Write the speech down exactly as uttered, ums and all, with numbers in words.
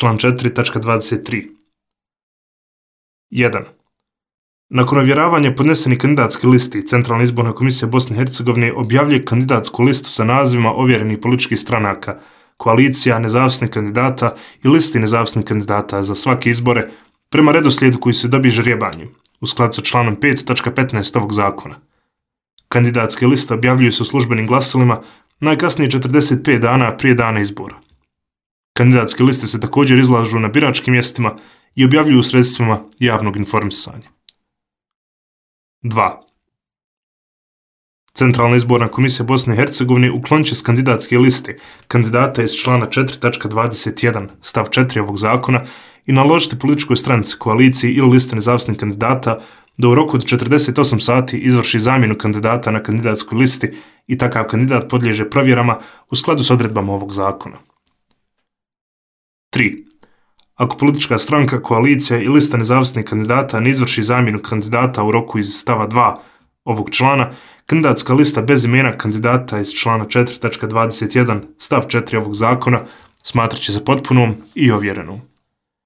član četiri tačka dvadeset tri. jedan. Nakon ovjeravanja podnesenih kandidatskih listi, Centralna izborna komisija Bosne i Hercegovine objavljuje kandidatsku listu sa nazivima ovjerenih političkih stranaka, koalicija, nezavisnih kandidata i listi nezavisnih kandidata za svake izbore prema redoslijedu koji se dobije ždrijebanjem, u skladu sa članom pet tačka petnaest ovog zakona. Kandidatske liste objavljuju se u službenim glasilima najkasnije četrdeset pet dana prije dana izbora. Kandidatske liste se također izlažu na biračkim mjestima i objavljuju u sredstvima javnog informisanja. dva. Centralna izborna komisija Bosne i Hercegovine uklonit će s kandidatske liste kandidata iz člana četiri tačka dvadeset jedan stav četiri ovog zakona i naložiti političkoj stranci, koaliciji ili listi nezavisnih kandidata da u roku od četrdeset osam sati izvrši zamjenu kandidata na kandidatskoj listi i takav kandidat podliježe provjerama u skladu s odredbama ovog zakona. tri. Ako politička stranka, koalicija i lista nezavisnih kandidata ne izvrši zamjenu kandidata u roku iz stava dva ovog člana, kandidatska lista bez imena kandidata iz člana četiri tačka dvadeset jedan stav četiri ovog zakona smatrat će se potpunom i ovjerenom.